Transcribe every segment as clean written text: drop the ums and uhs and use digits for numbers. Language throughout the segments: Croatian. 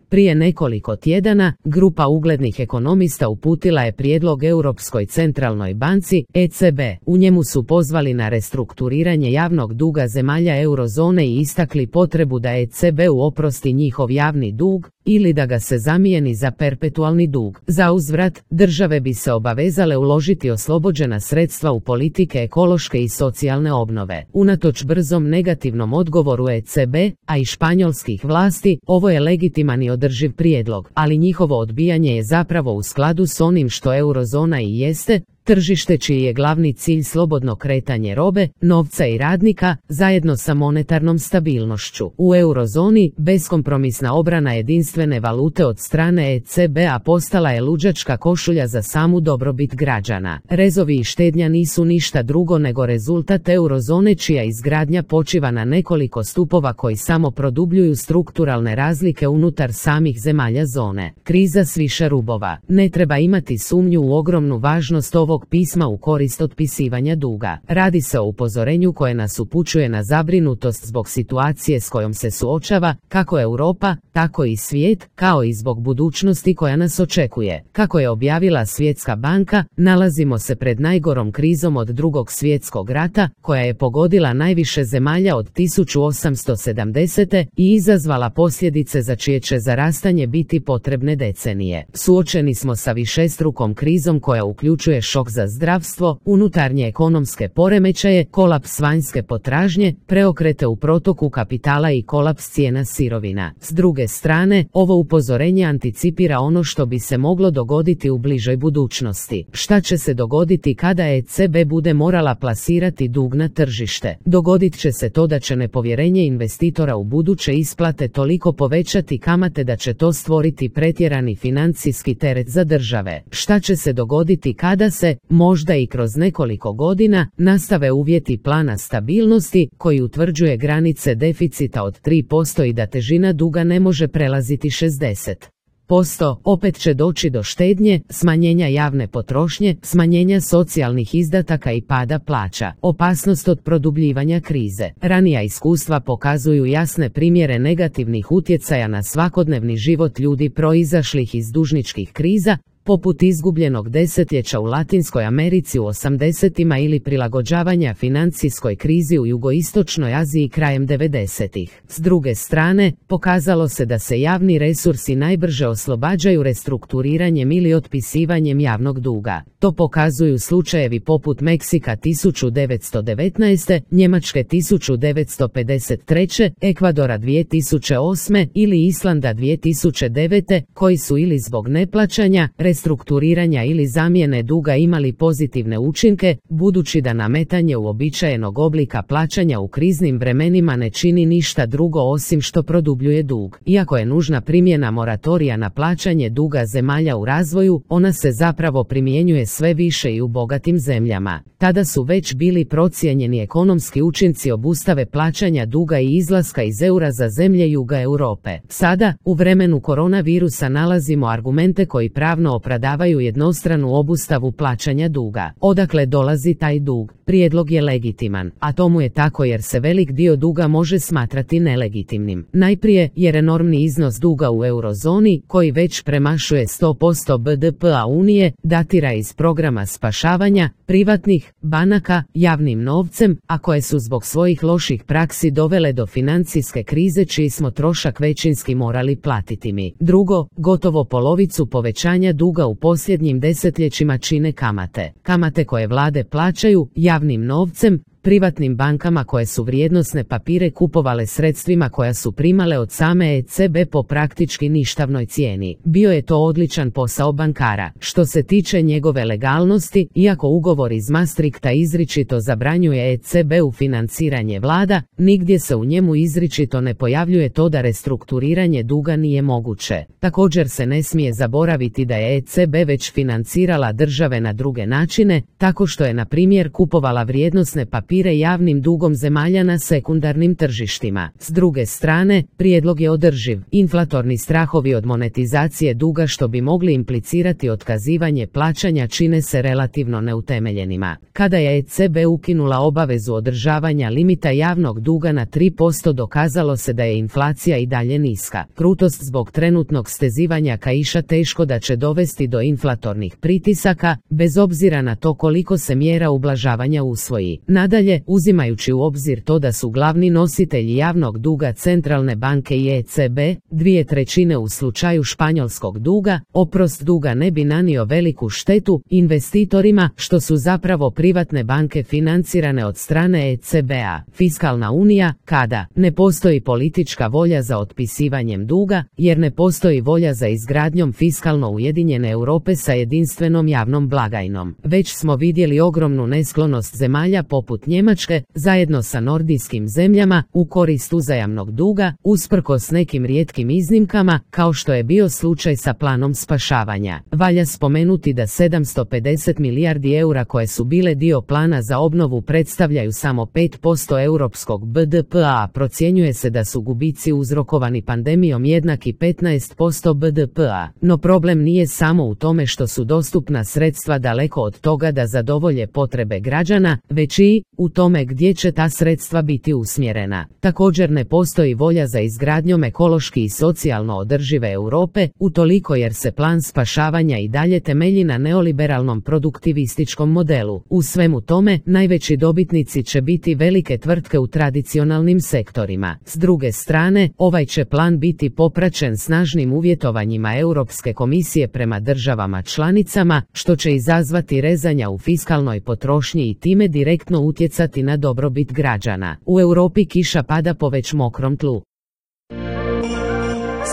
Prije nekoliko tjedana, grupa uglednih ekonomista uputila je prijedlog Europskoj centralnoj banci, ECB. U njemu su pozvali na restrukturiranje javnog duga zemalja eurozone i istakli potrebu da ECB oprosti njihov javni dug, ili da ga se zamijeni za perpetualni dug. Zauzvrat, države bi se obavezale uložiti oslobođena sredstva u politike ekološke i socijalne obnove. Unatoč brzom negativnom odgovoru ECB, a i španjolskih vlasti, ovo je legitiman i održiv prijedlog, ali njihovo odbijanje je zapravo u skladu s onim što eurozona i jeste, tržište čiji je glavni cilj slobodno kretanje robe, novca i radnika, zajedno sa monetarnom stabilnošću. U eurozoni, beskompromisna obrana jedinstvene valute od strane ECB-a postala je luđačka košulja za samu dobrobit građana. Rezovi i štednja nisu ništa drugo nego rezultat eurozone čija izgradnja počiva na nekoliko stupova koji samo produbljuju strukturalne razlike unutar samih zemalja zone. Kriza s više rubova. Ne treba imati sumnju u ogromnu važnost ovog pisma u korist otpisivanja duga. Radi se o upozorenju koje nas upućuje na zabrinutost zbog situacije s kojom se suočava, kako Europa, tako i svijet, kao i zbog budućnosti koja nas očekuje. Kako je objavila Svjetska banka, nalazimo se pred najgorom krizom od Drugog svjetskog rata, koja je pogodila najviše zemalja od 1870. i izazvala posljedice za čije će zarastanje biti potrebne decenije. Suočeni smo sa višestrukom krizom koja uključuje šok za zdravstvo, unutarnje ekonomske poremećaje, kolaps vanjske potražnje, preokrete u protoku kapitala i kolaps cijena sirovina. S druge strane, ovo upozorenje anticipira ono što bi se moglo dogoditi u bližoj budućnosti. Šta će se dogoditi kada ECB bude morala plasirati dug na tržište? Dogodit će se to da će nepovjerenje investitora u buduće isplate toliko povećati kamate da će to stvoriti pretjerani financijski teret za države. Šta će se dogoditi kada se, možda i kroz nekoliko godina, nastave uvjeti plana stabilnosti koji utvrđuje granice deficita od 3% i da težina duga ne može prelaziti 60%, opet će doći do štednje, smanjenja javne potrošnje, smanjenja socijalnih izdataka i pada plaća. Opasnost od produbljivanja krize. Ranija iskustva pokazuju jasne primjere negativnih utjecaja na svakodnevni život ljudi proizašlih iz dužničkih kriza, poput izgubljenog desetljeća u Latinskoj Americi u 80-ima ili prilagođavanja financijskoj krizi u jugoistočnoj Aziji krajem 90-ih. S druge strane, pokazalo se da se javni resursi najbrže oslobađaju restrukturiranjem ili otpisivanjem javnog duga. To pokazuju slučajevi poput Meksika 1919., Njemačke 1953., Ekvadora 2008. ili Islanda 2009. koji su ili zbog neplaćanja, restrukturiranja ili zamjene duga imali pozitivne učinke, budući da nametanje uobičajenog oblika plaćanja u kriznim vremenima ne čini ništa drugo osim što produbljuje dug. Iako je nužna primjena moratorija na plaćanje duga zemalja u razvoju, ona se zapravo primjenjuje sve više i u bogatim zemljama. Tada su već bili procijenjeni ekonomski učinci obustave plaćanja duga i izlaska iz eura za zemlje juga Europe. Sada, u vremenu koronavirusa, nalazimo argumente koji pravno opravdavaju jednostranu obustavu plaćanja duga. Odakle dolazi taj dug? Prijedlog je legitiman, a tomu je tako jer se velik dio duga može smatrati nelegitimnim. Najprije, jer enormni iznos duga u eurozoni, koji već premašuje 100% BDP-a Unije, datira iz programa spašavanja privatnih banaka javnim novcem, a koje su zbog svojih loših praksi dovele do financijske krize čiji smo trošak većinski morali platiti mi. Drugo, gotovo polovicu povećanja duga u posljednjim desetljećima čine kamate. Kamate koje vlade plaćaju javnim novcem privatnim bankama koje su vrijednosne papire kupovale sredstvima koja su primale od same ECB po praktički ništavnoj cijeni. Bio je to odličan posao bankara. Što se tiče njegove legalnosti, iako ugovor iz Maastrichta izričito zabranjuje ECB-u financiranje vlada, nigdje se u njemu izričito ne pojavljuje to da restrukturiranje duga nije moguće. Također se ne smije zaboraviti da je ECB već financirala države na druge načine, tako što je na primjer kupovala vrijednosne papire podupire javnim dugom zemalja na sekundarnim tržištima. S druge strane, prijedlog je održiv. Inflatorni strahovi od monetizacije duga što bi mogli implicirati otkazivanje plaćanja čine se relativno neutemeljenima. Kada je ECB ukinula obavezu održavanja limita javnog duga na 3%, dokazalo se da je inflacija i dalje niska. Krutost zbog trenutnog stezivanja kaiša teško da će dovesti do inflatornih pritisaka, bez obzira na to koliko se mjera ublažavanja usvoji. Nadalje, uzimajući u obzir to da su glavni nositelji javnog duga centralne banke i ECB, 2/3 u slučaju španjolskog duga, oprost duga ne bi nanio veliku štetu investitorima, što su zapravo privatne banke financirane od strane ECB-a. Fiskalna unija, kada ne postoji politička volja za otpisivanjem duga, jer ne postoji volja za izgradnjom fiskalno ujedinjene Europe sa jedinstvenom javnom blagajnom. Već smo vidjeli ogromnu nesklonost zemalja poput Njemačke, zajedno sa nordijskim zemljama, u korist uzajamnog duga, usprkos nekim rijetkim iznimkama, kao što je bio slučaj sa planom spašavanja. Valja spomenuti da 750 milijardi eura koje su bile dio plana za obnovu predstavljaju samo 5% europskog BDP-a, a procjenjuje se da su gubici uzrokovani pandemijom jednaki 15% BDP-a. No problem nije samo u tome što su dostupna sredstva daleko od toga da zadovolje potrebe građana, već i u tome gdje će ta sredstva biti usmjerena. Također ne postoji volja za izgradnjom ekološki i socijalno održive Europe, utoliko jer se plan spašavanja i dalje temelji na neoliberalnom produktivističkom modelu. U svemu tome, najveći dobitnici će biti velike tvrtke u tradicionalnim sektorima. S druge strane, ovaj će plan biti popraćen snažnim uvjetovanjima Europske komisije prema državama članicama, što će izazvati rezanja u fiskalnoj potrošnji i time direktno utjecati na dobrobit građana. U Europi kiša pada po već mokrom tlu.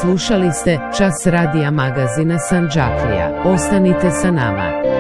Slušali ste Čas radija magazina Sandžaklija. Ostanite sa nama.